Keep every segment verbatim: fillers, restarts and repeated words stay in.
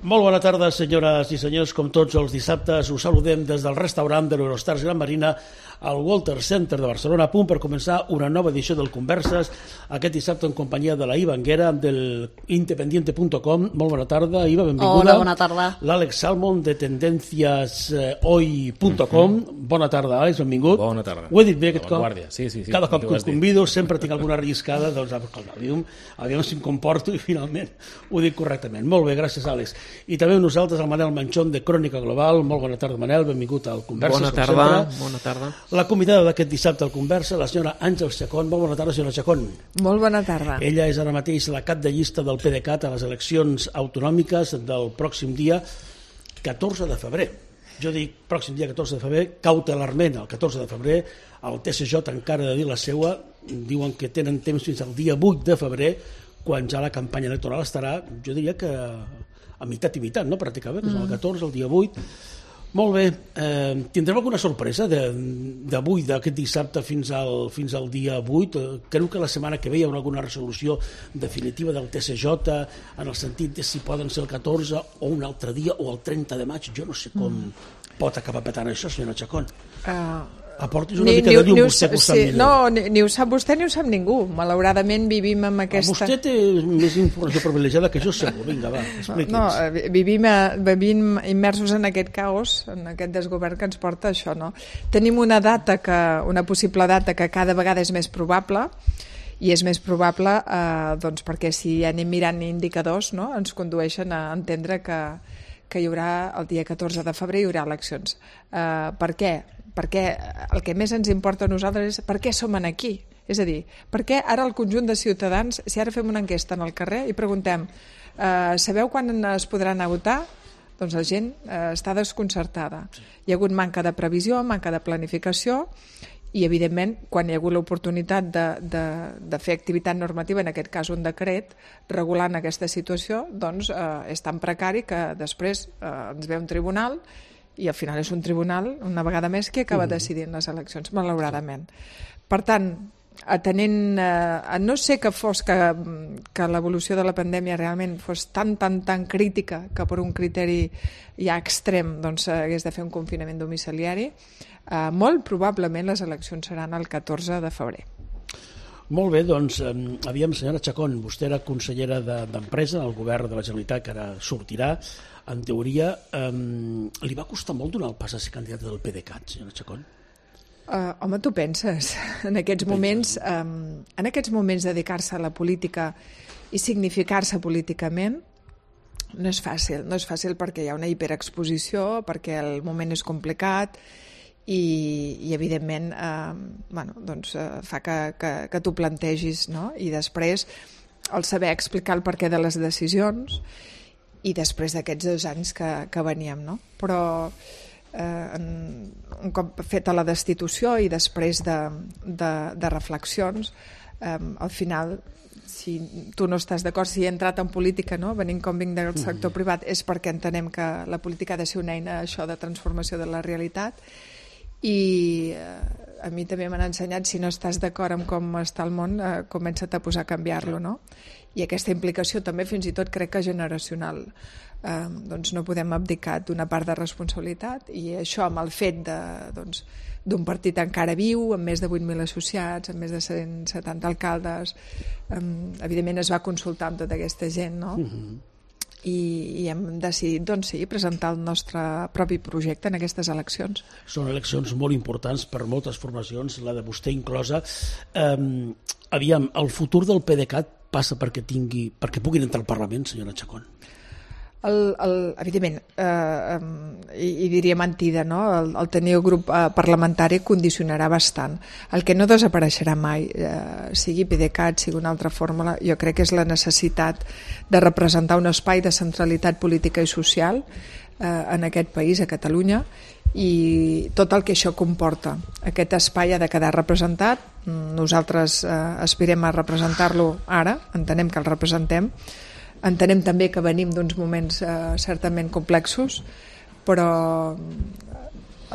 Molt bona tarda, senyores i senyors. Com tots els dissabtes, us saludem des del restaurant de l'Eurostars Gran Marina al Walter Center de Barcelona, a punt per començar una nova edició del Converses, aquest dissabte en companyia de la Iva Anguera, del independiente punt com. Molt bona tarda, Iva, benvinguda. Hola, bona tarda. L'Àlex Salmon, de tendencias hoy punt com. Bona tarda, Àlex, benvingut. Bona tarda. Ho he dit bé aquest cop? Sí, sí, sí. Cada cop que us convido sempre tinc alguna arriscada, doncs aviam, aviam si em comporto i finalment ho dic correctament. Molt bé, gràcies, Àlex. I també amb nosaltres el Manel Manchón, de Crònica Global. Molt bona tarda, Manel, benvingut al Converses. Bona tarda, bona tarda. La convidada d'aquest dissabte al Conversa, la senyora Àngels Chacón. Molt bona tarda, senyora Chacón. Molt bona tarda. Ella és ara mateix la cap de llista del PDeCAT a les eleccions autonòmiques del pròxim dia catorze de febrer. Jo dic pròxim dia catorze de febrer, cautelarment el catorze de febrer, el T C J encara ha de dir la seua, diuen que tenen temps fins al dia vuit de febrer, quan ja la campanya electoral estarà, jo diria que a meitat i meitat, no? Pràcticament, que és el catorze, el dia vuit. Molt bé, eh, tindrem alguna sorpresa d'avui, d'aquest dissabte fins al, fins al dia vuit? Creu que la setmana que ve hi haurà alguna resolució definitiva del T C J en el sentit de si poden ser el catorze o un altre dia o el trenta de maig? Jo no sé com mm. pot acabar petant això, senyora Chacón. Uh... Aportis una ni, mica ni, de llum, ni vostè que ho sap sí, millor. No, ni, ni ho sap vostè ni ho sap ningú. Malauradament vivim amb aquesta... Vostè té més informació privilegiada que jo, segur. Vinga, va, expliqui'ns. No, no, vivim, vivim immersos en aquest caos, en aquest desgovern que ens porta això, no? Tenim una data, que, una possible data que cada vegada és més probable, i és més probable eh, doncs perquè si anem mirant indicadors, no? Ens condueixen a entendre que, que hi haurà el dia catorze de febrer hi haurà eleccions. Eh, per què? Perquè el que més ens importa a nosaltres és per què som aquí. És a dir, per què ara el conjunt de ciutadans, si ara fem una enquesta en el carrer i preguntem eh, sabeu quan es podrà anar a votar? Doncs la gent eh, està desconcertada. Hi ha hagut manca de previsió, manca de planificació i, evidentment, quan hi ha hagut l'oportunitat de, de, de fer activitat normativa, en aquest cas un decret, regulant aquesta situació, doncs eh, és tan precari que després eh, ens ve un tribunal i al final és un tribunal, una vegada més, que acaba decidint les eleccions, malauradament. Per tant, atenent, eh, no sé que fos que, que l'evolució de la pandèmia realment fos tan, tan, tan crítica que per un criteri ja extrem doncs hagués de fer un confinament domiciliari, eh, molt probablement les eleccions seran el catorze de febrer. Molt bé, doncs, eh, aviam, senyora Chacón, vostè era consellera d'Empresa al govern de la Generalitat, que ara sortirà, en teoria. Eh, li va costar molt donar el pas a ser candidata del PDeCAT, senyora Chacón? Uh, home, tu penses, en aquests moments, um, en aquests moments dedicar-se a la política i significar-se políticament no és fàcil, no és fàcil perquè hi ha una hiperexposició, perquè el moment és complicat, i, i evidentment eh, bueno, doncs, eh, fa que, que, que t'ho plantegis, no? I després el saber explicar el perquè de les decisions i després d'aquests dos anys que, que veníem, no? Però eh, en, un cop feta la destitució i després de, de, de reflexions, eh, al final, si tu no estàs d'acord, si he entrat en política, no? Venint com vinc del sector privat, és perquè entenem que la política ha de ser una eina això de transformació de la realitat. I eh, a mi també m'han ensenyat, si no estàs d'acord amb com està el món, eh, comença't a posar a canviar-lo, no? I aquesta implicació també fins i tot crec que generacional, eh, doncs no podem abdicar d'una part de responsabilitat, i això amb el fet de, doncs, d'un partit encara viu, amb més de vuit mil associats, amb més de cent setanta alcaldes, eh, evidentment es va consultar amb tota aquesta gent, no? Uh-huh. I, i hem decidit, doncs sí, presentar el nostre propi projecte en aquestes eleccions. Són eleccions molt importants per moltes formacions, la de vostè inclosa. Um, aviam, el futur del PDeCAT passa perquè tingui, perquè puguin entrar al Parlament, senyora Chacón? El, el, evidentment, eh, i, i diria mentida, no? El, el tenir el grup eh, parlamentari condicionarà bastant. El que no desapareixerà mai, eh, sigui PDeCAT, sigui una altra fórmula, jo crec que és la necessitat de representar un espai de centralitat política i social eh, en aquest país, a Catalunya, i tot el que això comporta. Aquest espai ha de quedar representat, nosaltres eh, aspirem a representar-lo ara, entenem que el representem, entenem també que venim d'uns moments eh, certament complexos, però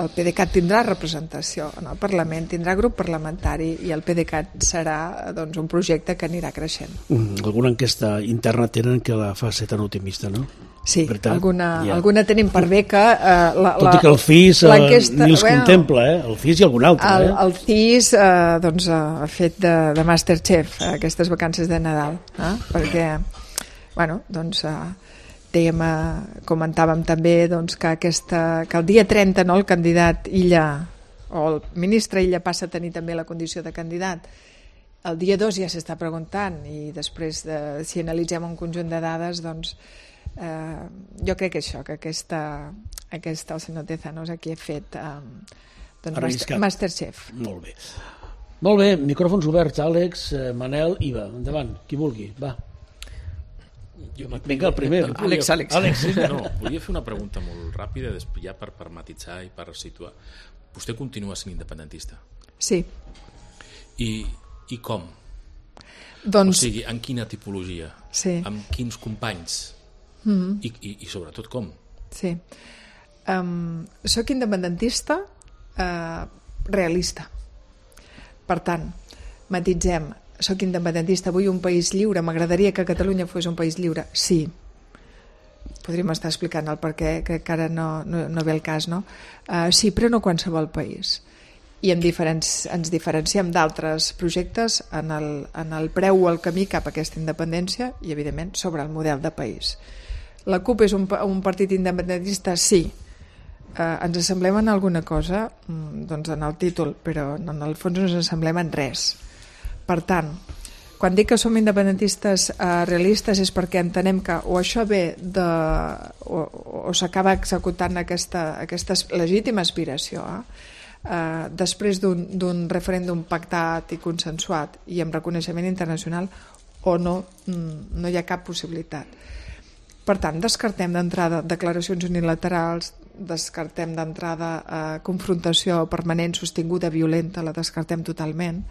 el PDeCAT tindrà representació en el Parlament, tindrà grup parlamentari i el PDeCAT serà doncs, un projecte que anirà creixent. Mm, alguna enquesta interna tenen que la fa ser tan optimista, no? Sí, Veritat? alguna, Ja. alguna tenim per bé que... Eh, la, Tot i que el C I S eh, ni els bueno, contempla, eh? El C I S i algun altre. El, eh? el C I S eh, doncs, ha fet de, de Masterchef eh, aquestes vacances de Nadal, eh? perquè bueno, doncs, eh, dèiem, eh, comentàvem també doncs, que, aquesta, que el dia trenta no, el candidat Illa o el ministre Illa passa a tenir també la condició de candidat. El dia dos ja s'està preguntant i després de, si analitzem un conjunt de dades doncs eh, jo crec que això, que aquesta, aquesta el senyor Tezanos aquí ha fet eh, doncs master, Masterchef. Molt bé. Molt bé, micròfons oberts, Àlex, eh, Manel, Iva, endavant, qui vulgui, va. Jo Vinga, el primer. Àlex, Àlex. Àlex, sí. No, volia fer una pregunta molt ràpida ja per, per matitzar i per situar. Vostè continua sent independentista? Sí. I, i com? Doncs... O sigui, en quina tipologia? Sí. Amb quins companys? Mm-hmm. I, i, I sobretot com? Sí. Um, soc independentista uh, realista. Per tant, matitzem, soc independentista, vull un país lliure, m'agradaria que Catalunya fos un país lliure, sí. Podríem estar explicant el per què, que encara no, no, no ve el cas, no? Uh, sí, però no qualsevol país. I en diferents, ens diferenciem d'altres projectes en el, en el preu o el camí cap a aquesta independència i, evidentment, sobre el model de país. La CUP és un, un partit independentista? Sí. Uh, ens assemblem en alguna cosa? Mm, doncs en el títol, però en el fons no ens assemblem en res. Per tant, quan dic que som independentistes uh, realistes és perquè entenem que o això ve de... o, o s'acaba executant aquesta, aquesta legítima aspiració, eh? Uh, després d'un referèndum pactat i consensuat i amb reconeixement internacional o no, mm, no hi ha cap possibilitat. Per tant, descartem d'entrada declaracions unilaterals, descartem d'entrada eh, confrontació permanent, sostinguda, violenta, la descartem totalment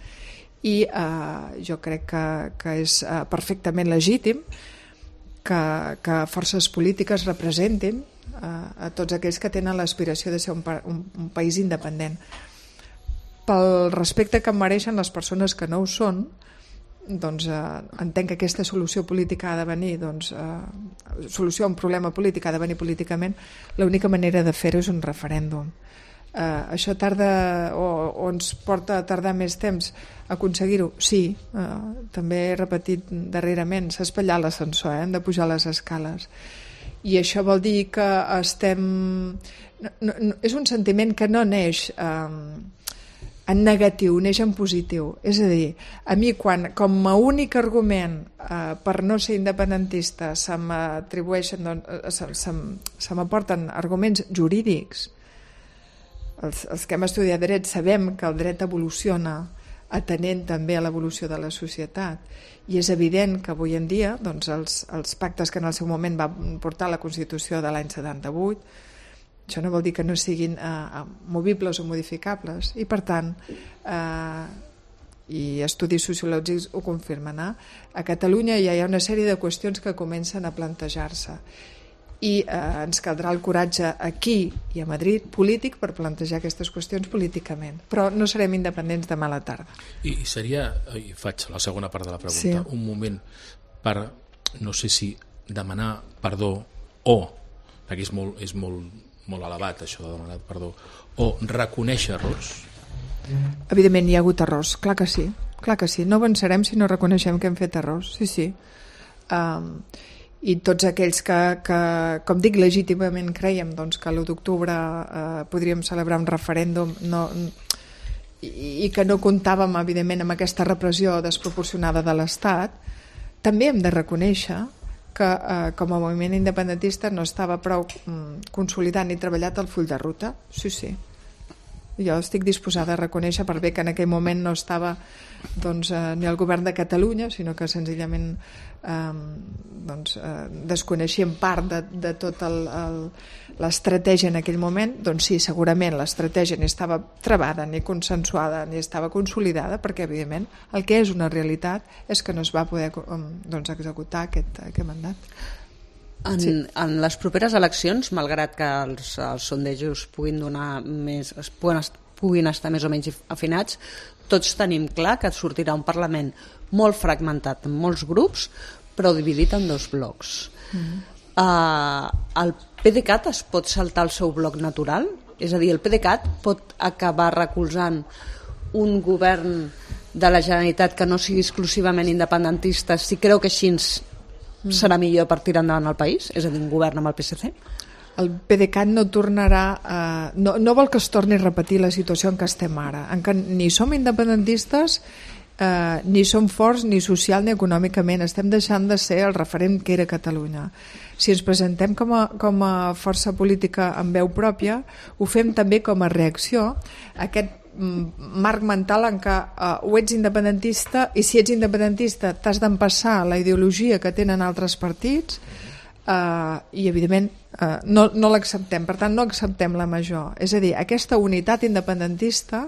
i eh, jo crec que, que és eh, perfectament legítim que, que forces polítiques representin eh, a tots aquells que tenen l'aspiració de ser un, un, un país independent. Pel respecte que em mereixen les persones que no ho són, doncs eh, entenc que aquesta solució política ha de venir, doncs, eh, solució a un problema polític ha de venir políticament, l'única manera de fer-ho és un referèndum. Eh, això tarda o, o ens porta a tardar més temps a aconseguir-ho? Sí, eh, també he repetit darrerament, s'ha espatllat l'ascensor, eh, hem de pujar les escales. I això vol dir que estem... No, no, no, és un sentiment que no neix... Eh, en negatiu, neix en positiu. És a dir, a mi quan com a únic argument eh, per no ser independentista se m'atribueixen, doncs, se, se, se m'aporten arguments jurídics, els, els que hem estudiat dret sabem que el dret evoluciona atenent també a l'evolució de la societat i és evident que avui en dia doncs, els, els pactes que en el seu moment va portar la Constitució de l'any setanta-vuit, això no vol dir que no siguin eh, movibles o modificables i per tant eh, i estudis sociològics ho confirmen, eh? A Catalunya ja hi ha una sèrie de qüestions que comencen a plantejar-se i eh, ens caldrà el coratge aquí i a Madrid polític per plantejar aquestes qüestions políticament, però no serem independents demà a la tarda. I, i seria, i faig la segona part de la pregunta, sí. Un moment per, no sé si demanar perdó o, perquè és molt, és molt molt elevat això de demanar perdó, o reconèixer errors? Evidentment hi ha hagut errors, clar que sí, clar que sí. No avançarem si no reconeixem que hem fet errors, sí, sí. Um, I tots aquells que, que, com dic, legítimament creiem doncs, que l'u d'octubre uh, podríem celebrar un referèndum no, i, i que no comptàvem, evidentment, amb aquesta repressió desproporcionada de l'Estat, també hem de reconèixer que eh, com a moviment independentista no estava prou mm, consolidat ni treballat el full de ruta. Sí, sí. Jo estic disposada a reconèixer per bé que en aquell moment no estava doncs, eh, ni el govern de Catalunya, sinó que senzillament eh, doncs, eh, desconeixíem part de, de tot l'estratègia en aquell moment. Doncs sí, segurament l'estratègia ni estava trebada, ni consensuada, ni estava consolidada, perquè evidentment el que és una realitat és que no es va poder doncs, executar aquest, aquest mandat. En, sí. en les properes eleccions, malgrat que els, els sondejos puguin donar més, es puguin, puguin estar més o menys afinats, tots tenim clar que sortirà un Parlament molt fragmentat en molts grups, però dividit en dos blocs. Mm-hmm. Uh, el PDeCAT es pot saltar el seu bloc natural? És a dir, el PDeCAT pot acabar recolzant un govern de la Generalitat que no sigui exclusivament independentista, si creu que així serà millor per tirar endavant el país? És a dir, un govern amb el P S C? El PDeCAT no tornarà a... No, no vol que es torni a repetir la situació en què estem ara, en què ni som independentistes, eh, ni som forts ni social ni econòmicament. Estem deixant de ser el referent que era Catalunya. Si ens presentem com a, com a força política amb veu pròpia, ho fem també com a reacció a aquest marc mental en què uh, o ets independentista, i si ets independentista t'has d'empassar la ideologia que tenen altres partits, uh, i evidentment uh, no, no l'acceptem. Per tant, no acceptem la major. És a dir, aquesta unitat independentista,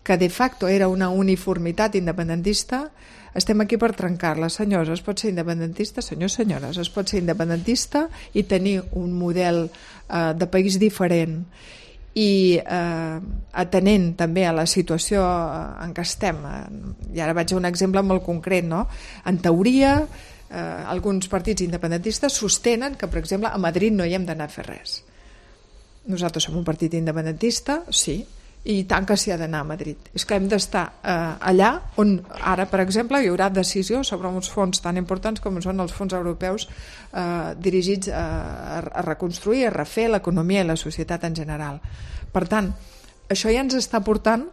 que de facto era una uniformitat independentista, estem aquí per trencar-la. Senyors, es pot ser independentista, senyors, senyores, es pot ser independentista i tenir un model uh, de país diferent, i eh, atenent també a la situació en què estem. I ara vaig a un exemple molt concret, no? En teoria, eh, alguns partits independentistes sostenen que, per exemple, a Madrid no hi hem d'anar a fer res. Nosaltres som un partit independentista, sí, i tant que s'hi ha d'anar a Madrid. És que hem d'estar eh, allà on ara, per exemple, hi haurà decisió sobre uns fons tan importants com són els fons europeus eh, dirigits a, a reconstruir, a refer l'economia i la societat en general. Per tant, això ja ens està portant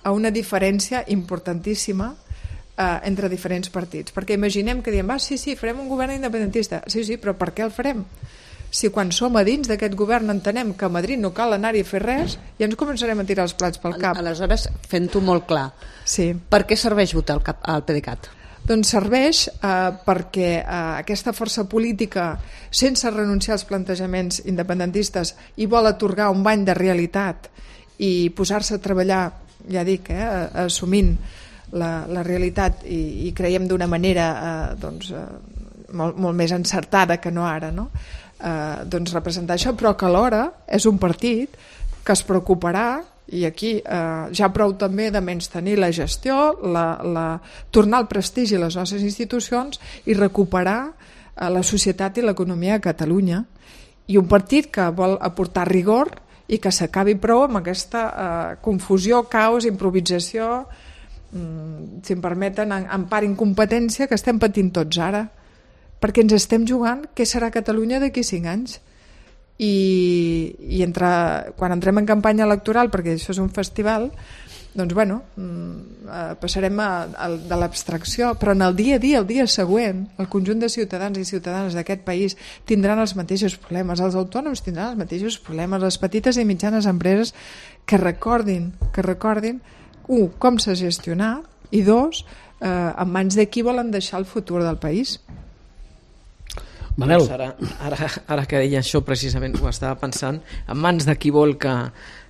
a una diferència importantíssima eh, entre diferents partits. Perquè imaginem que diem, ah, sí, sí, farem un govern independentista. Sí, sí, però per què el farem? Si quan som a dins d'aquest govern entenem que a Madrid no cal anar-hi a fer res, ja ens començarem a tirar els plats pel cap. Aleshores, fent-ho molt clar, sí. Per què serveix votar el, cap, el PDeCAT? Doncs serveix eh, perquè eh, aquesta força política, sense renunciar als plantejaments independentistes, i vol atorgar un bany de realitat i posar-se a treballar, ja dic, eh, assumint la, la realitat, i, i creiem d'una manera eh, doncs, eh, molt, molt més encertada que no ara, no? Eh, doncs representar això, però que alhora és un partit que es preocuparà, i aquí eh, ja prou també de menystenir la gestió, la, la, tornar el prestigi a les nostres institucions i recuperar eh, la societat i l'economia a Catalunya, i un partit que vol aportar rigor i que s'acabi prou amb aquesta eh, confusió, caos, improvisació, mm, si em permeten, en, en part incompetència que estem patint tots ara, perquè ens estem jugant què serà Catalunya d'aquí cinc anys. I, i entre, quan entrem en campanya electoral, perquè això és un festival, doncs bueno, passarem a, a, de l'abstracció, però en el dia a dia, el dia següent, el conjunt de ciutadans i ciutadanes d'aquest país tindran els mateixos problemes, els autònoms tindran els mateixos problemes, les petites i mitjanes empreses, que recordin, que recordin, un, com s'ha gestionat, i dos, eh, en mans de qui volen deixar el futur del país. Manel. Doncs ara, ara, ara que deia això precisament ho estava pensant, en mans de qui vol que,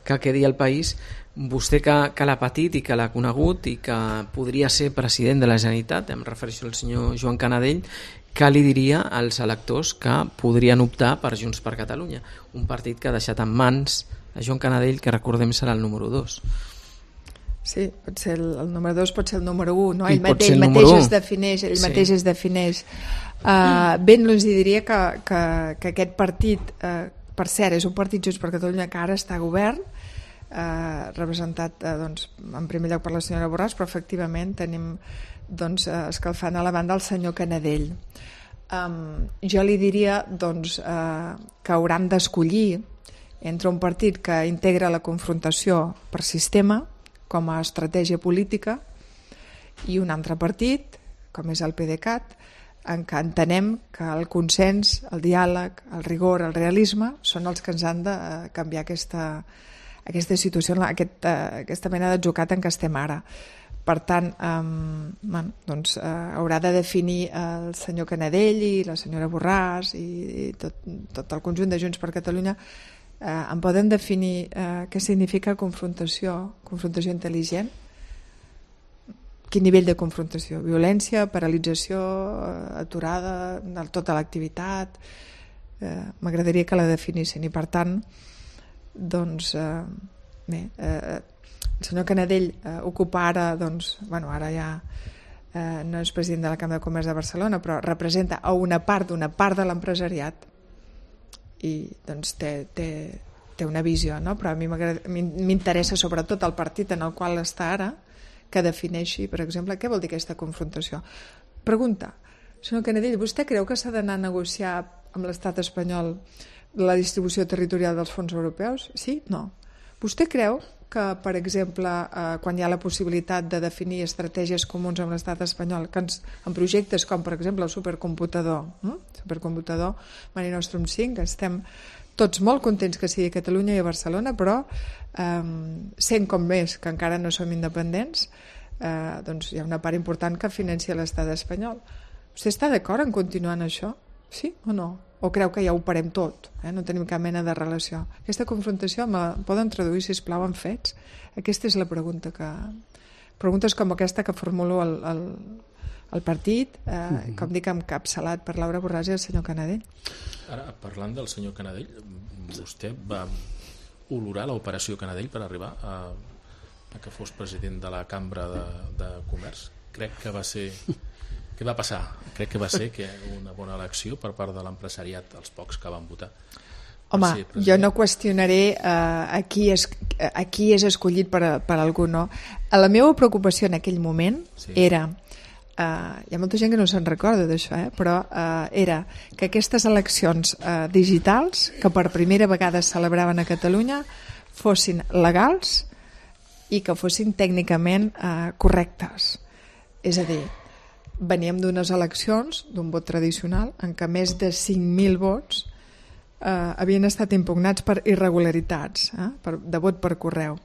que quedi el país. Vostè que, que l'ha patit i que l'ha conegut i que podria ser president de la Generalitat, em refereixo al senyor Joan Canadell, què li diria als electors que podrien optar per Junts per Catalunya, un partit que ha deixat en mans a Joan Canadell, que recordem serà el número dos? Sí, pot ser el, el número dos, pot ser el número un, no? Ell, pot mateix, ser el mateix número es defineix, ell sí. mateix es defineix. Uh, ben els diria que, que, que aquest partit, uh, per cert, és un partit Junts per Catalunya que ara està a govern, uh, representat uh, doncs, en primer lloc per la senyora Borràs, però efectivament tenim doncs, uh, escalfant a la banda el senyor Canadell. Um, jo li diria doncs, uh, que hauran d'escollir entre un partit que integra la confrontació per sistema com a estratègia política i un altre partit, com és el PDeCAT, en què entenem que el consens, el diàleg, el rigor, el realisme són els que ens han de canviar aquesta, aquesta situació, aquesta, aquesta mena d'atzucac en què estem ara. Per tant, eh, bueno, doncs, eh, haurà de definir el senyor Canadell i la senyora Borràs i, i tot, tot el conjunt de Junts per Catalunya. Eh, em poden definir eh, què significa confrontació, confrontació intel·ligent? Quin nivell de confrontació? Violència, paralització, aturada de tota l'activitat? eh, m'agradaria que la definissin, i per tant doncs eh, bé, eh, el senyor Canadell eh, ocupa ara, doncs, bueno, ara ja eh, no és president de la Cambra de Comerç de Barcelona, però representa a una part d'una part de l'empresariat i doncs té, té, té una visió, no? Però a mi m'interessa sobretot el partit en el qual està ara, que defineixi, per exemple, què vol dir aquesta confrontació. Pregunta, senyor Canadell, vostè creu que s'ha d'anar a negociar amb l'estat espanyol la distribució territorial dels fons europeus? Sí? No. Vostè creu que, per exemple, eh, quan hi ha la possibilitat de definir estratègies comuns amb l'estat espanyol, que ens, en projectes com, per exemple, el supercomputador, eh? supercomputador Mare Nostrum cinc, estem tots molt contents que sigui a Catalunya i a Barcelona, però eh, sent com més que encara no som independents, eh, doncs hi ha una part important que financia l'estat espanyol. Vostè està d'acord en continuar en això? Sí o no? O creu que ja ho parem tot? Eh? No tenim cap mena de relació. Aquesta confrontació me la poden traduir, sisplau, en fets? Aquesta és la pregunta que... Preguntes com aquesta que formulo al, al, al partit, eh, mm-hmm. com dic, encapçalat per Laura Borràs i el senyor Canadell. Ara, parlant del senyor Canadell, vostè va olorar l'operació Canadell per arribar a, a que fos president de la Cambra de, de Comerç? Crec que va ser... Què va passar? Crec que va ser que una bona elecció per part de l'empresariat, els pocs que van votar. Home, jo no qüestionaré uh, a, qui és, a qui és escollit per, a, per algú, no. La meva preocupació en aquell moment sí. era... Uh, hi ha molta gent que no se'n recorda d'això, eh? però uh, era que aquestes eleccions uh, digitals, que per primera vegada es celebraven a Catalunya, fossin legals i que fossin tècnicament uh, correctes. És a dir, veníem d'unes eleccions, d'un vot tradicional, en què més de cinc mil vots eh, havien estat impugnats per irregularitats, eh, per, de vot per correu.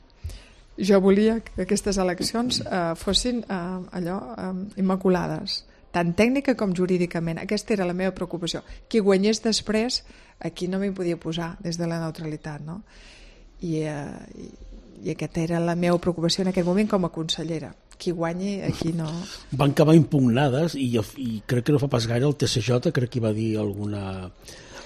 Jo volia que aquestes eleccions eh, fossin eh, allò eh, immaculades, tant tècnica com jurídicament. Aquesta era la meva preocupació. Qui guanyés després, aquí no m'hi podia posar des de la neutralitat, no? I, eh, i, i aquesta era la meva preocupació en aquest moment com a consellera. Qui guanyi, aquí no... Van acabar impugnades i, i crec que no fa pas gaire el T C J crec que va dir alguna,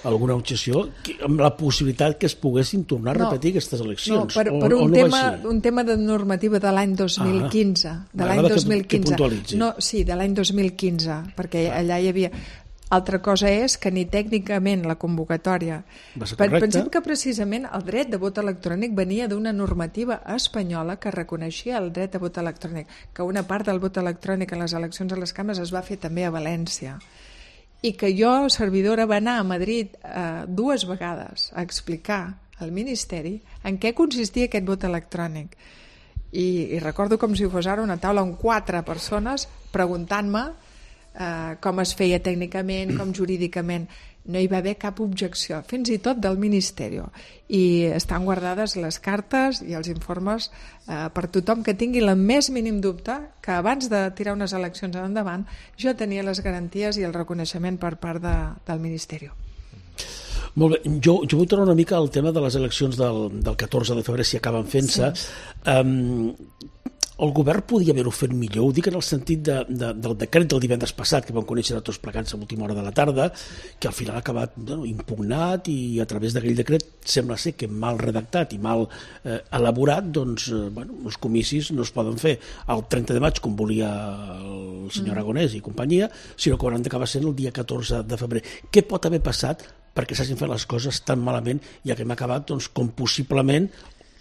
alguna objecció que, amb la possibilitat que es poguessin tornar a no, repetir aquestes eleccions. No, per, per un, o, o no tema, un tema de normativa de l'any dos mil quinze. Ah, de l'any dos mil quinze. Que, que no, sí, de l'any dos mil quinze, perquè ah. allà hi havia... Altra cosa és que ni tècnicament la convocatòria... Pensem que precisament el dret de vot electrònic venia d'una normativa espanyola que reconeixia el dret de vot electrònic, que una part del vot electrònic en les eleccions a les cambres es va fer també a València. I que jo, servidora, va anar a Madrid eh, dues vegades a explicar al Ministeri en què consistia aquest vot electrònic. I, i recordo com si fos ara una taula amb quatre persones preguntant-me Uh, com es feia tècnicament, com jurídicament. No hi va haver cap objecció, fins i tot del Ministeri. I estan guardades les cartes i els informes uh, per tothom que tingui el més mínim dubte que abans de tirar unes eleccions endavant jo tenia les garanties i el reconeixement per part de, del Ministeri. Molt bé, jo, jo vull tornar una mica al tema de les eleccions del, del catorze de febrer, si acaben fent-se. Sí. Um, el govern podia haver-ho fet millor, ho dic en el sentit de, de, del decret del divendres passat que vam conèixer tots plegats a l'última hora de la tarda, que al final ha acabat bueno, impugnat i a través d'aquell decret sembla ser que mal redactat i mal eh, elaborat, doncs eh, bueno, els comicis no es poden fer el trenta de maig com volia el senyor Aragonès i companyia, sinó que hauran d'acabar sent el dia catorze de febrer. Què pot haver passat perquè s'hagin fet les coses tan malament i que hem acabat doncs, com possiblement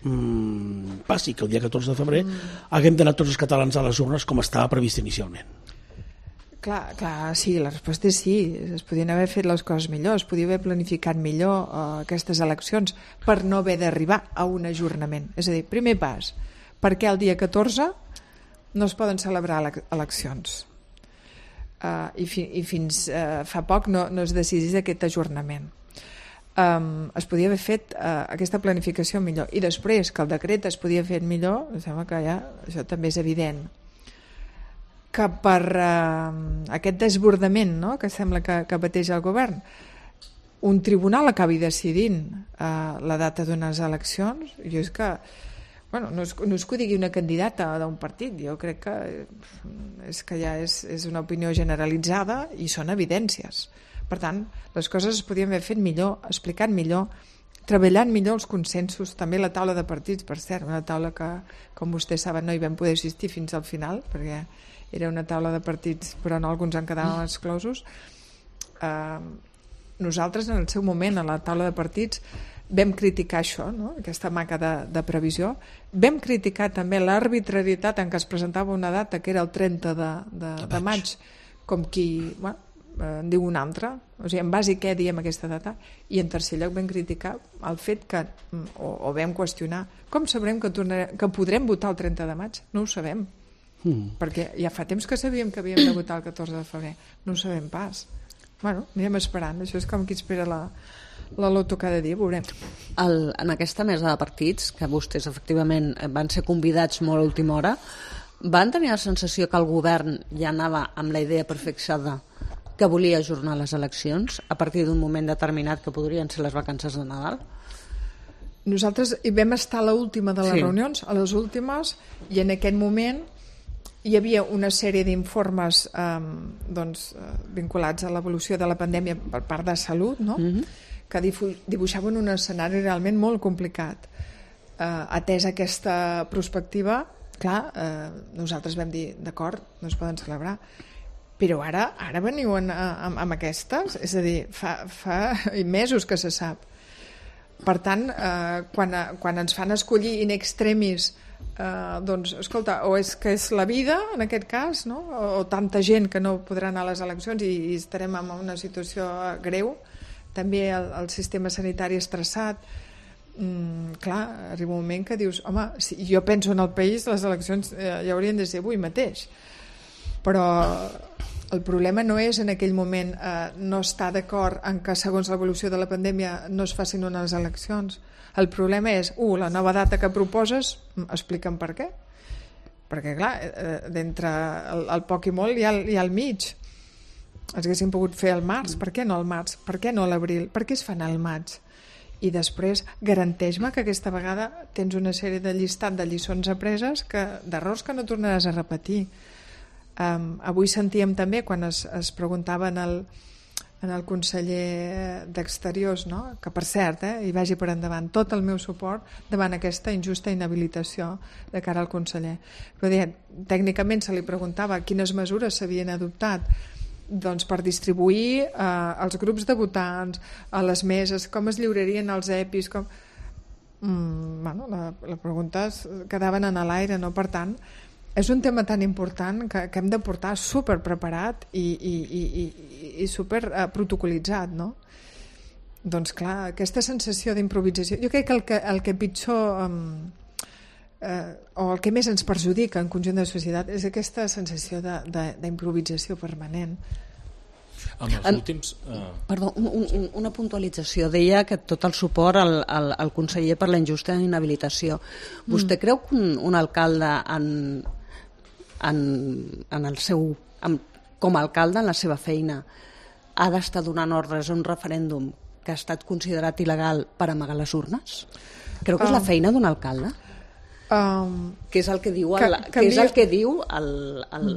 Mm, passi que el dia catorze de febrer mm. haguem d'anar tots els catalans a les urnes com estava previst inicialment. Clar, clar, sí, la resposta és sí. Es podien haver fet les coses millor, es podia haver planificat millor uh, aquestes eleccions per no haver d'arribar a un ajornament. És a dir, primer pas, per què el dia catorze no es poden celebrar eleccions? Uh, i, fi, i fins uh, fa poc no, no es decidís aquest ajornament. Um, es podia haver fet uh, aquesta planificació millor i després que el decret es podia fer millor, em sembla que ja això també és evident que per uh, aquest desbordament, no?, que sembla que, que pateix el govern, un tribunal acabi decidint uh, la data d'unes eleccions. Jo és que bueno, no, és, no és que ho digui una candidata d'un partit, jo crec que és que ja és, és una opinió generalitzada i són evidències. Per tant, les coses es podien haver fet millor, explicat millor, treballant millor els consensos, també la taula de partits, per cert, una taula que, com vostès saben, no hi vam poder assistir fins al final, perquè era una taula de partits, però no alguns en quedaven exclosos. Eh, nosaltres, en el seu moment, a la taula de partits, vam criticar això, no? Aquesta manca de, de previsió. Vam criticar també l'arbitrarietat en què es presentava una data, que era el trenta de, de, de maig, com qui... Bueno, en diu una altra, o sigui, en base a què diem aquesta data, i en tercer lloc vam criticar el fet que, o, o vam qüestionar, com sabrem que, tornarem, que podrem votar el trenta de maig? No ho sabem, mm. perquè ja fa temps que sabíem que havíem de votar el catorze de febrer, no ho sabem pas. Bueno, anirem esperant, això és com qui espera la, la loto cada dia, veurem. El, en aquesta mesa de partits, que vostès efectivament van ser convidats molt a última hora, van tenir la sensació que el govern ja anava amb la idea prefixada que volia ajornar les eleccions a partir d'un moment determinat que podrien ser les vacances de Nadal? Nosaltres hi vam estar a l'última de les sí. reunions, a les últimes, i en aquest moment hi havia una sèrie d'informes eh, doncs, vinculats a l'evolució de la pandèmia per part de Salut, no? Mm-hmm. que dibuixaven un escenari realment molt complicat. Eh, atesa aquesta perspectiva, clar, eh, nosaltres vam dir, d'acord, no es poden celebrar, però ara ara veniu en, amb, amb aquestes, és a dir, fa, fa mesos que se sap. Per tant, eh, quan, quan ens fan escollir in extremis, eh, doncs, escolta, o és que és la vida, en aquest cas, no? o, o tanta gent que no podrà anar a les eleccions i, i estarem en una situació greu, també el, el sistema sanitari estressat, mm, clar, arriba un moment que dius, home, si jo penso en el país, les eleccions eh, ja haurien de ser avui mateix. Però el problema no és en aquell moment eh, no estar d'acord en que segons l'evolució de la pandèmia no es facin unes eleccions. El problema és, uh, la nova data que proposes, explica'm per què. Perquè clar, eh, d'entre el, el poc i molt hi ha, hi ha el mig. Els haguéssim pogut fer al març, per què no al març? Per què no a l'abril? Per què es fan al maig? I després garanteix-me que aquesta vegada tens una sèrie de llistat de lliçons apreses, que, d'errors que no tornaràs a repetir. Um, avui sentíem també quan es, es preguntava en el, en el conseller d'Exteriors, no? Que per cert, eh, hi vagi per endavant tot el meu suport davant aquesta injusta inhabilitació de cara al conseller. Però dir, tècnicament se li preguntava quines mesures s'havien adoptat doncs per distribuir eh, els grups de votants a les meses, com es lliurarien els EPIs, com... Mm, bueno, la, la pregunta quedaven en l'aire, no? Per tant, és un tema tan important que, que hem de portar super preparat i, i, i, i, i super uh, protocolitzat, no? Doncs clar, aquesta sensació d'improvisació, jo crec que el que, el que pitjor um, uh, o el que més ens perjudica en conjunt de societat és aquesta sensació d'improvisació permanent. Amb els últims... Uh... Perdó, un, un, una puntualització. Deia que tot el suport al, al, al conseller per la injusta inhabilitació. Vostè mm. creu que un, un alcalde en, en, en el seu, en, com a alcalde en la seva feina ha d'estar donant ordres a un referèndum que ha estat considerat il·legal per amagar les urnes? Creu que és la feina d'un alcalde? Um, que és el que diu el, que, que és el que diu el, el,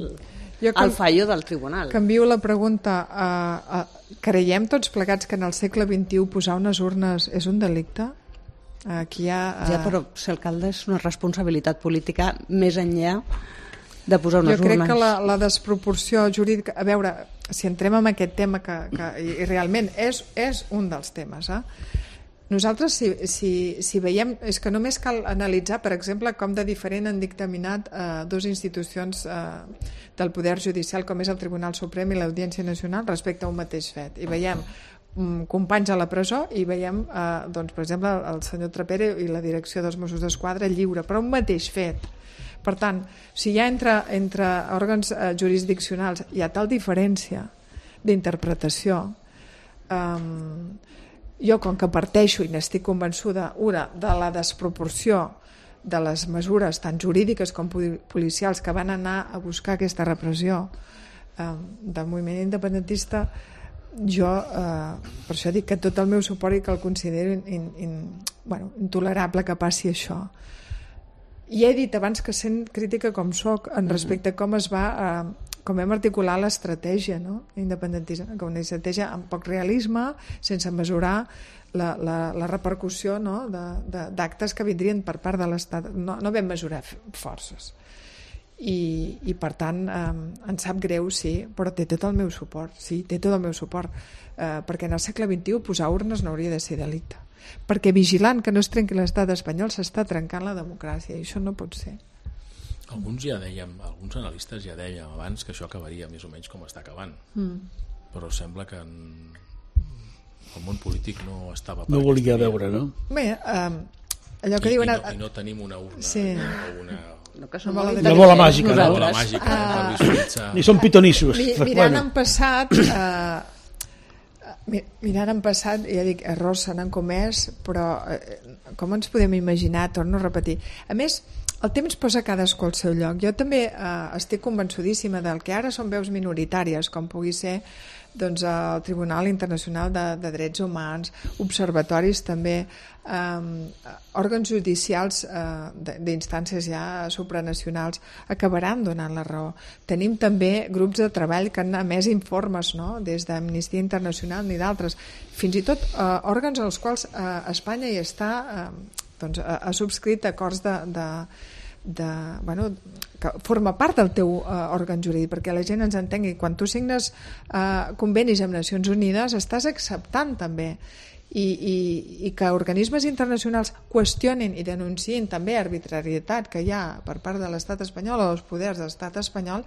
el can, fallo del tribunal. Canvio la pregunta. Uh, uh, creiem tots plegats que en el segle vint-i-u posar unes urnes és un delicte? Aquí hi ha, uh... Ja, però ser alcalde és una responsabilitat política més enllà de posar unes urnes. Jo crec urnes. que la, la desproporció jurídica... A veure, si entrem en aquest tema que, que i, i realment és, és un dels temes, eh? Nosaltres, si, si, si veiem... És que només cal analitzar, per exemple, com de diferent han dictaminat eh, dues institucions eh, del Poder Judicial, com és el Tribunal Suprem i l'Audiència Nacional, respecte a un mateix fet. I veiem mm, companys a la presó i veiem, eh, doncs, per exemple, el senyor Trapero i la direcció dels Mossos d'Esquadra lliure, però un mateix fet. Per tant, si hi ha entre, entre òrgans eh, jurisdiccionals hi ha tal diferència d'interpretació, eh, jo, com que parteixo i n'estic convençuda, una, de la desproporció de les mesures tant jurídiques com policials que van anar a buscar aquesta repressió eh, del moviment independentista, jo eh, per això dic que tot el meu suport i que el considero in, in, bueno, intolerable que passi això. I he dit abans que sent crítica com soc en respecte a com es va eh, com hem articulat l'estratègia, no? Independentista, com una estratègia amb poc realisme, sense mesurar la, la, la repercussió, no? d'actes que vindrien per part de l'Estat. No, no vam mesurar forces. I, i per tant eh, em sap greu, sí, però té tot el meu suport, sí, té tot el meu suport, eh, perquè en el segle vint-i-u posar urnes no hauria de ser delicte, perquè vigilant que no es trenqui l'estat espanyol s'està trencant la democràcia i això no pot ser. Alguns ja dèiem, alguns analistes ja dèiem abans que això acabaria més o menys com està acabant, mm. però sembla que en... el món polític no estava per no volia veure, no? Bé, eh, allò que I, diuen... I no, i no tenim una urna sí. o una... No, que som molt la bola màgica, no? La bola màgica, uh, per visualitzar... Ni són pitonissos. Mi, mirant bueno. en passat, eh, mirant en passat, ja dic, errors se n'han comès, però eh, com ens podem imaginar, torno a repetir. A més, el temps posa cadascú al seu lloc. Jo també eh, estic convençudíssima del que ara són veus minoritàries, com pugui ser doncs, el Tribunal Internacional de, de Drets Humans, observatoris també, eh, òrgans judicials eh, d'instàncies ja supranacionals acabaran donant la raó. Tenim també grups de treball que han emès informes, no? Des d'Amnistia Internacional ni d'altres, fins i tot eh, òrgans als quals eh, Espanya hi està, eh, doncs, ha, ha subscrit acords de, de de, bueno, que forma part del teu uh, òrgan jurídic, perquè la gent ens entengui. Quan tu signes uh, convenis amb Nacions Unides estàs acceptant també i, i, i que organismes internacionals qüestionin i denunciïn també arbitrarietat que hi ha per part de l'estat espanyol o dels poders de l'estat espanyol,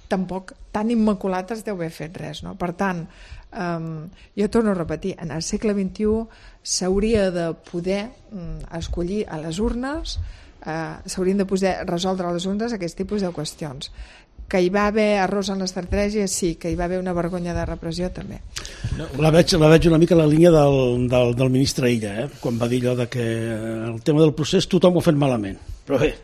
tampoc tan immaculat es deu haver fet res, no? Per tant, um, jo torno a repetir, en el segle vint-i-u s'hauria de poder um, escollir a les urnes. Uh, s'haurien de poder resoldre a les urnes aquest tipus de qüestions. Que hi va haver errors en l'estratègia, sí. Que hi va haver una vergonya de repressió, també. No, la, veig, la veig una mica la línia del, del, del ministre Illa, eh? Quan va dir allò de que el tema del procés tothom ho ha fet malament, però bé,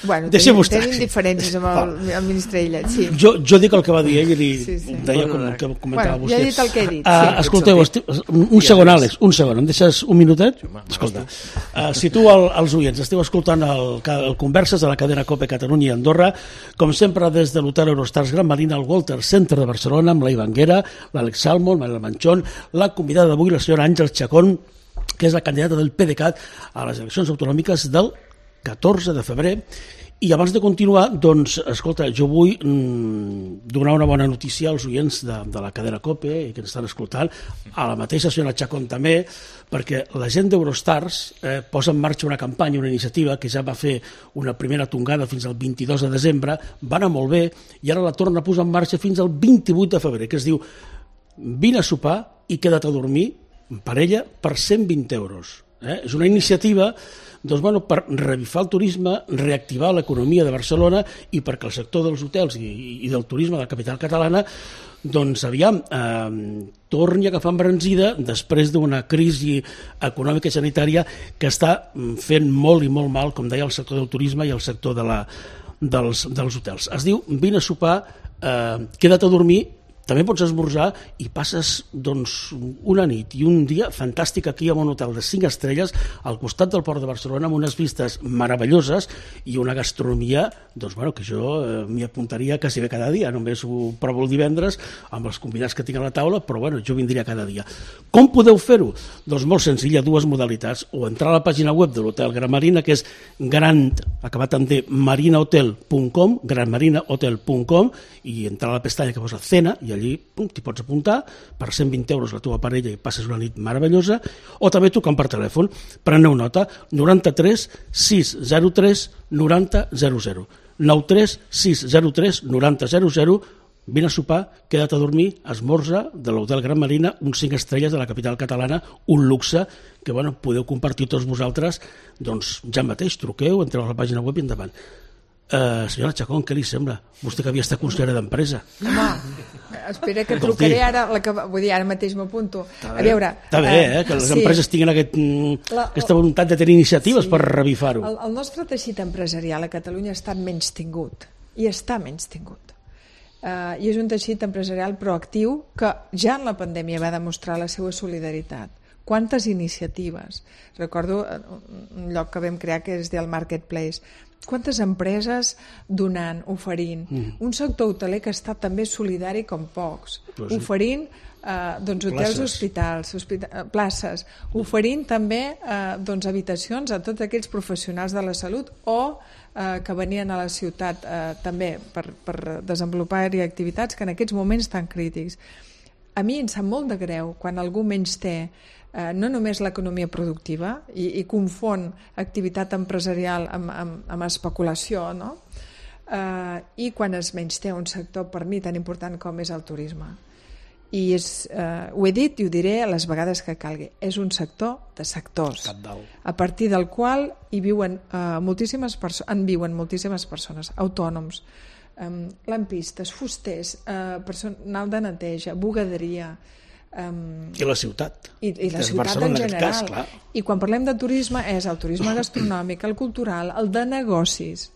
bueno, tenim, tenim diferències amb el, el ministre Illa, sí. Jo, jo dic el que va dir ell i sí, sí. deia com el que comentava bueno, vostè. Jo he dit el que he dit. Uh, sí. Escolteu, esti... un segon, Àlex, un segon, em deixes un minutet? Escolta, uh, si tu el, els oients esteu escoltant el, el Converses de la cadena COPE Catalunya i Andorra, com sempre des de l'hotel Eurostars Gran Marina, al Walter Center de Barcelona, amb la Ivanguera, l'Àlex Salmon, Manuel Manchón, la convidada d'avui, la senyora Àngels Chacón, que és la candidata del PDeCAT a les eleccions autonòmiques del catorze de febrer. I abans de continuar, doncs, escolta, jo vull mm, donar una bona notícia als oients de, de la cadena COPE i que ens estan escoltant, a la mateixa senyora Chacón també, perquè la gent d'Eurostars eh, posa en marxa una campanya, una iniciativa que ja va fer una primera tongada fins al vint-i-dos de desembre, va anar molt bé i ara la torna a posar en marxa fins al vint-i-vuit de febrer, que es diu vine a sopar i queda't a dormir en parella per cent vint euros. Eh? És una iniciativa doncs, bueno, per revifar el turisme, reactivar l'economia de Barcelona i perquè el sector dels hotels i, i del turisme de la capital catalana doncs aviam, eh, torni a agafar embranzida després d'una crisi econòmica i sanitària que està fent molt i molt mal, com deia, el sector del turisme i el sector de la, dels, dels hotels. Es diu vine a sopar, eh, queda't a dormir, també pots esmorzar i passes doncs, una nit i un dia fantàstic aquí en un hotel de cinc estrelles al costat del Port de Barcelona amb unes vistes meravelloses i una gastronomia doncs, bueno, que jo eh, m'hi apuntaria quasi bé cada dia, només ho provo el divendres amb els convidats que tinc a la taula, però bueno, jo vindria cada dia. Com podeu fer-ho? Doncs molt senzill, hi ha dues modalitats, o entrar a la pàgina web de l'Hotel Gran Marina, que és gran, acabat amb D, marinahotel punt com, granmarinahotel punt com, i entrar a la pestanya que posa cena i allí t'hi pots apuntar per cent vint euros la teva parella i passes una nit meravellosa, o també trucant per telèfon. Preneu nota, noranta-tres sis zero tres noranta zero zero, noranta-tres sis zero tres noranta zero zero. Vine a sopar, queda't a dormir, esmorza de l'Hotel Gran Marina, uns cinc estrelles de la capital catalana, un luxe que bueno, podeu compartir tots vosaltres, doncs ja mateix truqueu, entreu a la pàgina web i endavant. Uh, senyora Chacón, què li sembla? Vostè que havia estat consellera d'empresa. Home, espera que trucaré ara, la que, vull dir, ara mateix m'apunto. A veure... Està bé, eh, que les sí. empreses tinguin aquest, la, aquesta voluntat de tenir iniciatives sí. per revifar-ho. El, el nostre teixit empresarial a Catalunya ha estat menys tingut, i està menys tingut. Uh, I és un teixit empresarial proactiu que ja en la pandèmia va demostrar la seva solidaritat. Quantes iniciatives. Recordo un lloc que vam crear que és del Marketplace. quantes empreses donant, oferint. Mm. Un sector hoteler que està també solidari com pocs, pues sí. oferint eh, doncs, hotels, places. hospitals, hospita places, oferint també eh, doncs, habitacions a tots aquells professionals de la salut o eh, que venien a la ciutat eh, també per, per desenvolupar-hi activitats que en aquests moments estan crítics. A mi em sap molt de greu quan algú menys té Eh, no només l'economia productiva i, i confon activitat empresarial amb, amb, amb especulació, no? eh, i quan es menysté un sector per mi tan important com és el turisme. I és, eh, ho he dit i ho diré a les vegades que calgui, és un sector de sectors, a partir del qual hi viuen, eh, moltíssimes perso- en viuen moltíssimes persones, autònoms, eh, lampistes, fusters, eh, personal de neteja, bugaderia, Um, i la ciutat i, i la ciutat en general en cas, i quan parlem de turisme és el turisme gastronòmic, el cultural, el de negocis.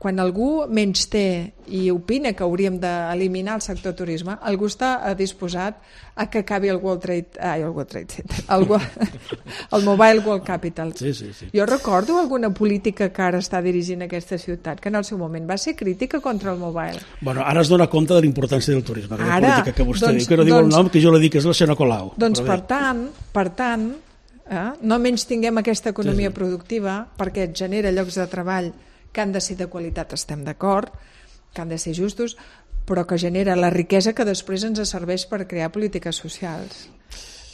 Quan algú menys té i opina que hauríem d'eliminar el sector turisme, algú està disposat a que acabi el World Trade, ai, el World Trade Center, el, el Mobile World Capital. Sí, sí, sí. Jo recordo alguna política que ara està dirigint aquesta ciutat que en el seu moment va ser crítica contra el Mobile. Bueno, ara es dona compte de l'importància del turisme, ara, política que vostè doncs, diu, que no diu doncs, el nom, que jo li dic que és la senyora Colau. Doncs per tant, per tant eh, no menys tinguem aquesta economia sí, sí. productiva perquè et genera llocs de treball que han de ser de qualitat, estem d'acord, que han de ser justos, però que genera la riquesa que després ens serveix per crear polítiques socials.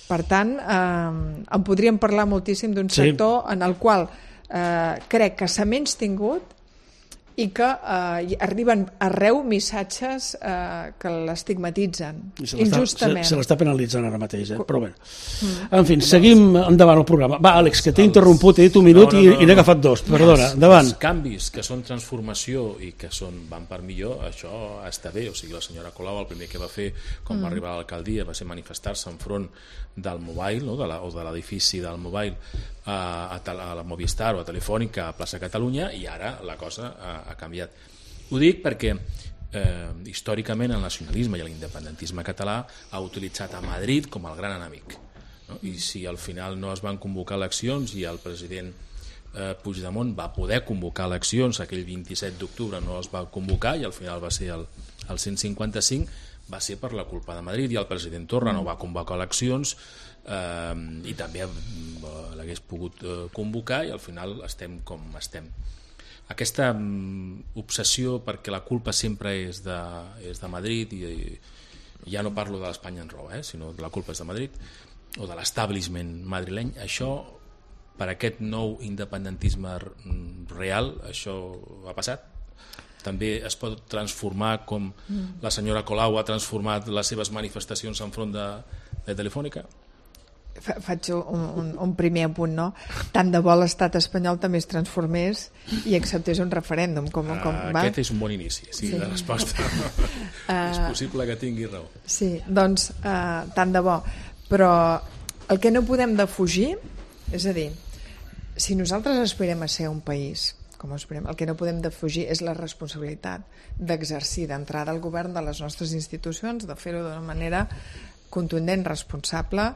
Per tant, eh, en podríem parlar moltíssim d'un sí. sector en el qual eh, crec que s'ha menys tingut i que eh, arriben arreu missatges eh, que l'estigmatitzen injustament. Se l'està penalitzant ara mateix, eh? Però bé. Mm. En fi, seguim endavant el programa. Va, Àlex, que t'he els... interromput, he dit un minut no, no, no, i, i n'he agafat dos. Perdona, endavant. Els canvis que són transformació i que són, van per millor, això està bé. O sigui, la senyora Colau el primer que va fer quan mm. va arribar a l'alcaldia va ser manifestar-se enfront del Mobile, no? de la, o de l'edifici del Mobile a, a, a la Movistar o a Telefònica a plaça Catalunya, i ara la cosa ha, ha canviat. Ho dic perquè eh, històricament el nacionalisme i l'independentisme català ha utilitzat a Madrid com el gran enemic, no? I si al final no es van convocar eleccions i el president eh, Puigdemont va poder convocar eleccions, aquell vint-i-set d'octubre no es va convocar i al final va ser el, el cent cinquanta-cinc, va ser per la culpa de Madrid, i el president Torra no va convocar eleccions eh, i també eh, l'hagués pogut eh, convocar, i al final estem com estem. Aquesta mm, obsessió perquè la culpa sempre és de, és de Madrid, i, i ja no parlo de l'Espanya en roba, eh, sinó que la culpa és de Madrid o de l'establishment madrileny, això per aquest nou independentisme real, això ha passat. També es pot transformar com mm. la senyora Colau ha transformat les seves manifestacions enfront de, de Telefònica? Faig un, un, un primer apunt, no? Tant de bo l'estat espanyol també es transformés i acceptés un referèndum. Com, com, uh, va? Aquest és un bon inici, sí, sí. de resposta. uh, és possible que tingui raó. Sí, doncs uh, tant de bo. Però el que no podem defugir, és a dir, si nosaltres aspirem a ser un país com esperem, el que no podem defugir és la responsabilitat d'exercir d'entrada el govern de les nostres institucions, de fer-ho d'una manera contundent, responsable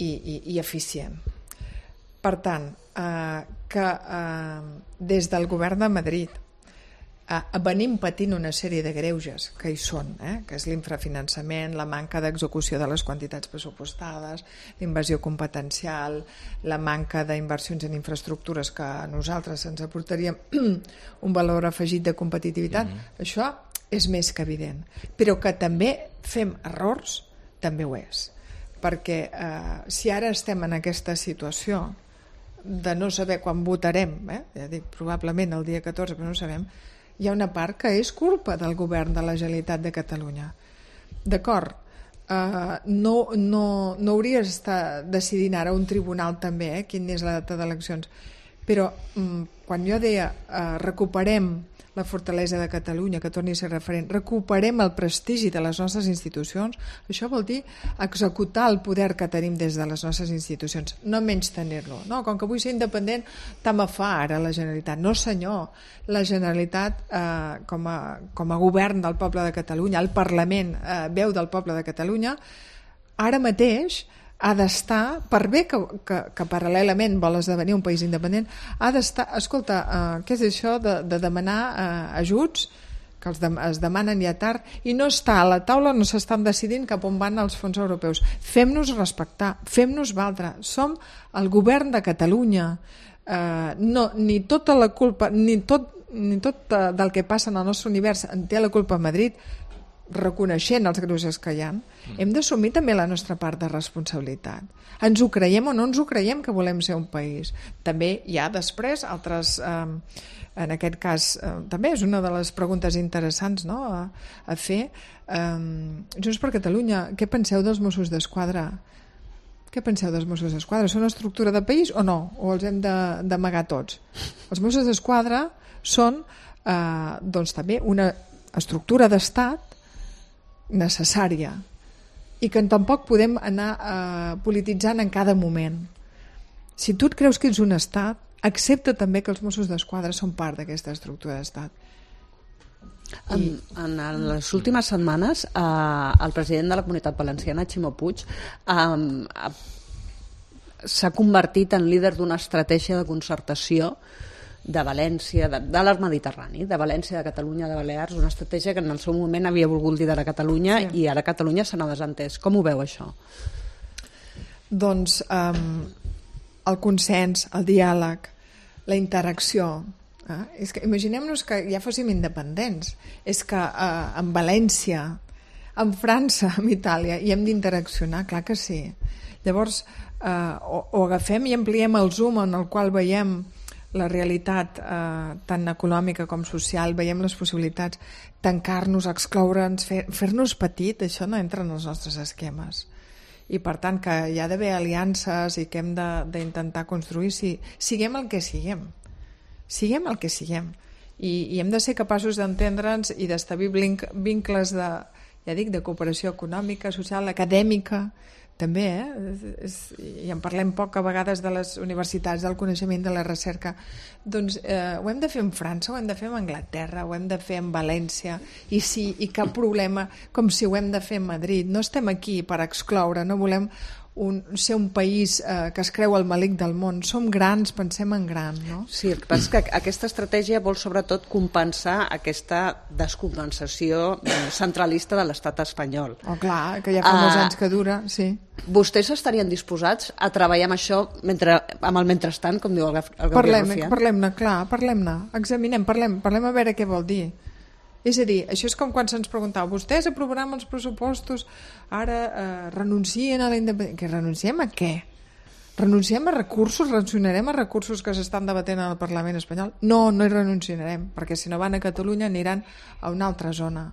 i, i, i eficient. Per tant, eh, que eh, des del govern de Madrid eh, venim patint una sèrie de greuges que hi són, eh, que és l'infrafinançament, la manca d'execució de les quantitats pressupostades, l'invasió competencial, la manca d'inversions en infraestructures que a nosaltres ens aportaria un valor afegit de competitivitat. Mm-hmm. Això és més que evident. Però que també fem errors, també ho és. Perquè eh, si ara estem en aquesta situació de no saber quan votarem, eh, ja dic, probablement el dia catorze, però no sabem, hi ha una part que és culpa del govern de la Generalitat de Catalunya. D'acord, uh, no, no, no hauria d'estar decidint ara un tribunal també, eh, quina és la data d'eleccions, però um, quan jo deia uh, recuperem la fortalesa de Catalunya, que torni a ser referent, recuperem el prestigi de les nostres institucions, això vol dir executar el poder que tenim des de les nostres institucions, no menys tenir-lo. No, com que vull ser independent, tant me fa ara la Generalitat. No, senyor, la Generalitat eh, com, a, com a govern del poble de Catalunya, el Parlament, eh, veu del poble de Catalunya, ara mateix ha d'estar, per bé que, que, que paral·lelament vol esdevenir un país independent, ha d'estar, escolta, uh, què és això de, de demanar uh, ajuts que els de, es demanen ja tard i no està a la taula, no s'estan decidint cap on van els fons europeus. Fem-nos respectar, fem-nos valdre, som el govern de Catalunya, uh, no, ni tota la culpa, ni tot, ni tot uh, del que passa en el nostre univers en té la culpa a Madrid, reconeixent els greuges que hi ha, mm. hem d'assumir també la nostra part de responsabilitat. Ens ho creiem o no ens ho creiem que volem ser un país. També hi ha després altres, eh, en aquest cas, eh, també és una de les preguntes interessants, no?, a, a fer. Eh, Junts per Catalunya, què penseu dels Mossos d'Esquadra? Què penseu dels Mossos d'Esquadra? Són una estructura de país o no? O els hem d'amagar tots? Els Mossos d'Esquadra són eh, doncs també una estructura d'estat necessària i que tampoc podem anar eh, polititzant en cada moment. Si tu et creus que ets un estat, accepta també que els Mossos d'Esquadra són part d'aquesta estructura d'estat. En, en les últimes setmanes eh, el president de la Comunitat Valenciana, Ximo Puig, eh, s'ha convertit en líder d'una estratègia de concertació de València, de, de l'Arc Mediterrani, de València, de Catalunya, de Balears, una estratègia que en el seu moment havia volgut liderar Catalunya, sí. I ara Catalunya se n'ha desentès. Com ho veu, això? Doncs um, el consens, el diàleg, la interacció. Eh? És que imaginem-nos que ja fóssim independents. És que uh, en València, en França, en Itàlia, hi hem d'interaccionar, clar que sí. Llavors, uh, o, o agafem i ampliem el Zoom en el qual veiem la realitat eh, tant econòmica com social, veiem les possibilitats, tancar-nos, excloure'ns, fer, fer-nos petit, això no entra en els nostres esquemes. I per tant que hi ha d'haver aliances i que hem d'intentar construir, si, siguem el que siguem, siguem el que siguem. I, i hem de ser capaços d'entendre'ns i d'establir vincles de, ja dic, de cooperació econòmica, social, acadèmica, també, eh? És, i en parlem poc a vegades de les universitats, del coneixement, de la recerca. Doncs eh, ho hem de fer en França, ho hem de fer en Anglaterra, ho hem de fer en València, i sí, i cap problema, com si ho hem de fer en Madrid. No estem aquí per excloure, no volem un, ser un país eh, que es creu el malic del món. Som grans, pensem en gran, no? Sí, el que passa és que aquesta estratègia vol sobretot compensar aquesta descompensació centralista de l'estat espanyol. Oh, clar, que ja fa molts uh, anys que dura, sí. Vostès estarien disposats a treballar amb això mentre, amb el mentrestant, com diu el, el Gabriel Parlem, Rufián? Parlem-ne, clar, parlem-ne, examinem, parlem, parlem a veure què vol dir. És a dir, això és com quan se'ns preguntava, vostès aprovaran els pressupostos, ara eh, renuncien a la independència. Que renunciem a què? Renunciem a recursos? Renunciarem a recursos que s'estan debatent al Parlament espanyol? No, no hi renunciarem, perquè si no van a Catalunya aniran a una altra zona.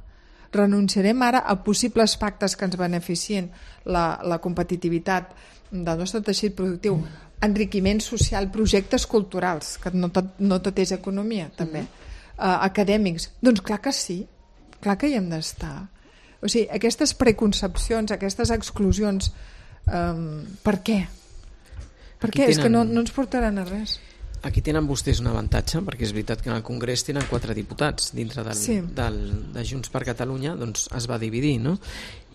Renunciarem ara a possibles pactes que ens beneficien la, la competitivitat del nostre teixit productiu, enriquiment social, projectes culturals, que no tot, no tot és economia, també. Mm-hmm. Uh, acadèmics, doncs clar que sí, clar que hi hem d'estar. O sigui, aquestes preconcepcions, aquestes exclusions, um, per què? Per què? Tenen... És que no, no ens portaran a res. Aquí tenen vostès un avantatge, perquè és veritat que en el Congrés tenen quatre diputats dintre del, sí. del, de Junts per Catalunya, doncs es va dividir, no?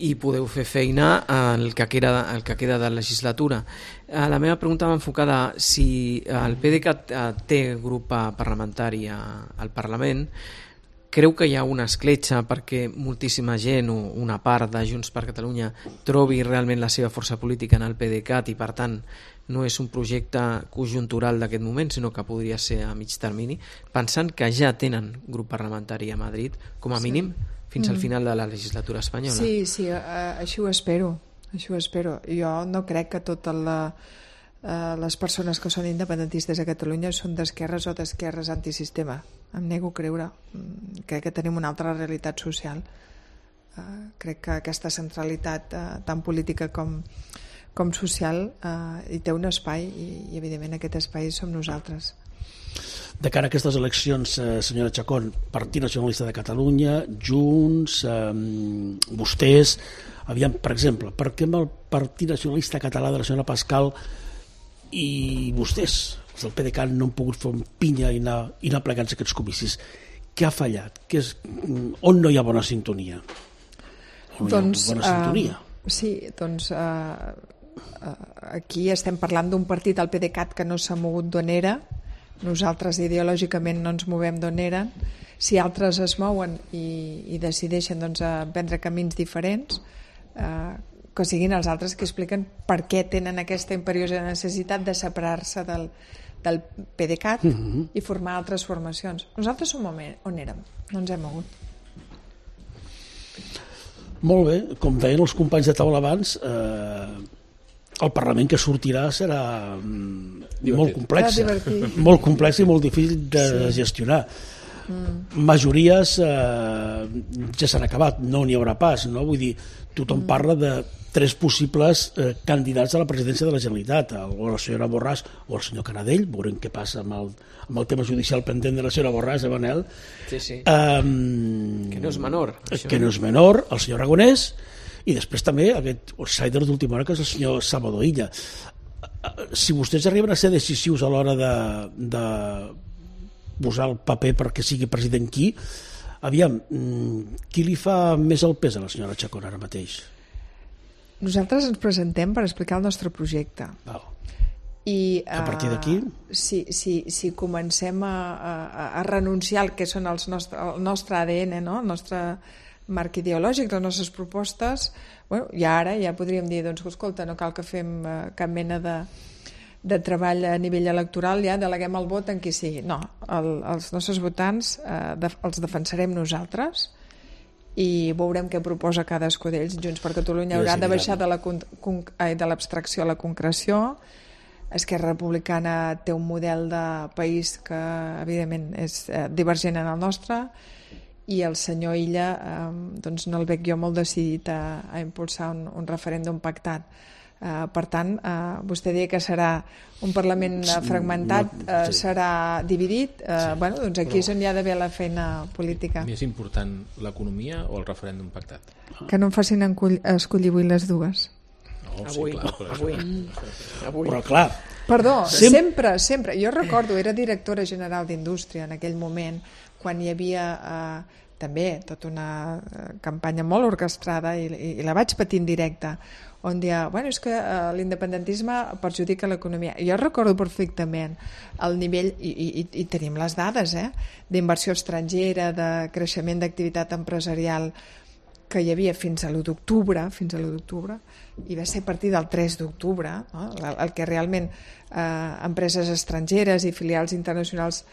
I podeu fer feina el que queda, el que queda de legislatura. La meva pregunta va enfocada si el PDeCAT té grup parlamentari al Parlament. Creu que hi ha una escletxa perquè moltíssima gent o una part de Junts per Catalunya trobi realment la seva força política en el PDeCAT i per tant no és un projecte conjuntural d'aquest moment, sinó que podria ser a mig termini, pensant que ja tenen grup parlamentari a Madrid, com a sí. mínim, fins mm. al final de la legislatura espanyola. Sí, sí, uh, així ho espero, així ho espero. Jo no crec que totes la, uh, les persones que són independentistes a Catalunya són d'esquerres o d'esquerres antisistema. Em nego a creure. Crec que tenim una altra realitat social. Uh, crec que aquesta centralitat uh, tan política com com social eh, hi té un espai i, i evidentment aquest espai som nosaltres. De cara a aquestes eleccions, eh, senyora Chacón, Partit Nacionalista de Catalunya, Junts, eh, vostès, aviam, per exemple, per què amb el Partit Nacionalista Català de la senyora Pascal i vostès, els del PDeCAT, no han pogut fer un pinya i anar, i anar plegant aquests comicis? Què ha fallat? Què és, on no hi ha bona sintonia? On doncs, hi ha bona sintonia? Uh, sí, doncs... Uh, aquí estem parlant d'un partit, el PDeCAT, que no s'ha mogut d'on era. Nosaltres ideològicament no ens movem d'on eren. Si altres es mouen i, i decideixen doncs, prendre camins diferents, eh, que siguin els altres que expliquen per què tenen aquesta imperiosa necessitat de separar-se del, del PDeCAT mm-hmm. i formar altres formacions. Nosaltres som on érem, no ens hem mogut. Molt bé, com deien els companys de taula abans, eh, el Parlament que sortirà serà divertit. Molt complex, molt complex i molt difícil de sí. gestionar. Mm. Majories eh, ja s'han acabat, no n'hi haurà pas, no? Vull dir, tothom mm. parla de tres possibles eh, candidats a la presidència de la Generalitat, o la senyora Borràs o el senyor Canadell. Veurem què passa amb el, amb el tema judicial pendent de la senyora Borràs, eh, Manel? Sí, sí. Um, que no és menor. Això. Que no és menor, el senyor Aragonès, i després també aquest outsider d'última hora que és el senyor Salvador Illa. Si vostès arriben a ser decisius a l'hora de, de posar el paper perquè sigui president qui, aviam, qui li fa més el pes a la senyora Chacón ara mateix? Nosaltres ens presentem per explicar el nostre projecte. Val. I a partir d'aquí? Uh, si, si, si comencem a, a, a renunciar al que són els nostre, el nostre A D N, no? El nostre marc ideològic, les nostres propostes, bueno, i ara ja podríem dir, doncs, escolta, no cal que fem uh, cap mena de, de treball a nivell electoral, ja deleguem el vot en qui sigui. No, el, els nostres votants uh, de, els defensarem nosaltres i veurem què proposa cadascú d'ells. Junts per Catalunya haurà de baixar de, la, de l'abstracció a la concreció. Esquerra Republicana té un model de país que evidentment és uh, divergent en el nostre, i el senyor Illa eh, doncs no el veig jo molt decidit a, a impulsar un, un referèndum pactat. Eh, per tant, eh, vostè deia que serà un Parlament fragmentat, eh, serà dividit, eh, sí, bueno, doncs aquí és on hi ha d'haver la feina política. Més important l'economia o el referèndum pactat? Que no em facin escollir avui les dues. No, avui, sí, clar, però, avui, avui. Però clar, perdó, Sem sempre, sempre. Jo recordo, era directora general d'Indústria en aquell moment, quan hi havia eh, també tota una eh, campanya molt orquestrada i, i, i la vaig patir en directe, on deia, bueno, és que eh, l'independentisme perjudica l'economia. Jo recordo perfectament el nivell, i, i, i tenim les dades, eh, d'inversió estrangera, de creixement d'activitat empresarial que hi havia fins a l'u d'octubre, fins a l'u d'octubre, i va ser a partir del tres d'octubre, no? el, el que realment eh, empreses estrangeres i filials internacionals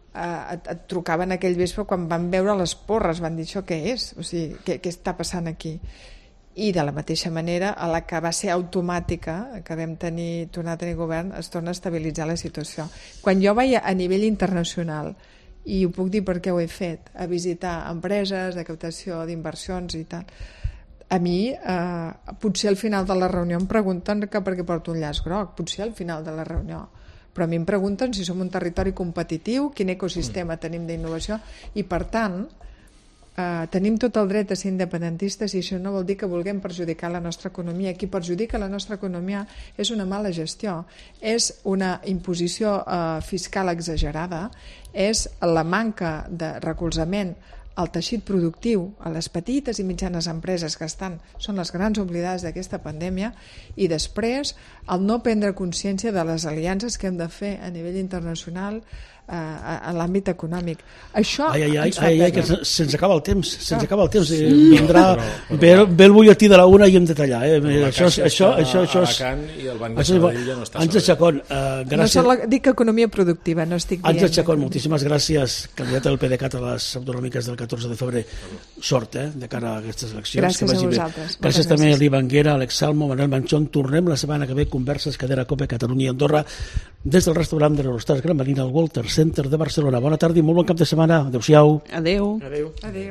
Uh, et, et trucaven aquell vespre quan van veure les porres, van dir això què és, o sigui, què, què està passant aquí? I de la mateixa manera a la que va ser automàtica, que vam tenir, tornar a tenir govern, es torna a estabilitzar la situació. Quan jo vaig a nivell internacional, i ho puc dir perquè ho he fet, a visitar empreses de captació d'inversions i tal, a mi eh, potser al final de la reunió em pregunten que per què porto un llaç groc, potser al final de la reunió, però a mi em pregunten si som un territori competitiu, quin ecosistema tenim d'innovació, i per tant eh, tenim tot el dret a ser independentistes, i això no vol dir que vulguem perjudicar la nostra economia. Qui perjudica la nostra economia és una mala gestió, és una imposició eh, fiscal exagerada, és la manca de recolzament al teixit productiu, a les petites i mitjanes empreses que estan, són les grans oblidades d'aquesta pandèmia, i després el no prendre consciència de les aliances que hem de fer a nivell internacional eh, a l'àmbit econòmic. Això ai, ai, ai, ens fa ai, ai, que perdre. se'ns acaba el temps, se'ns acaba el temps. Sí. Vindrà, ve, ve el butlletí de la una i hem de tallar. Eh? Això, això, això, això és... I el Banc de Sabadell ja no està Àngel Chacón, uh, gràcies. No la, dic economia productiva, no estic dient... Àngel Chacón, moltíssimes gràcies, candidat del PDeCAT a les autonòmiques del catorze de febrer. Sort, eh, de cara a aquestes eleccions. Gràcies a vosaltres. Gràcies, gràcies també a l'Ivan Guera, Alex Salmo, Manuel Manchón. Tornem la setmana que ve, converses, cadera, Cope, Catalunya i Andorra, des del restaurant de l'Eurostars Gran Marina, al Walter Center de Barcelona. Bona tarda i molt bon cap de setmana. Adéu-siau. Adéu. Adéu. Adéu.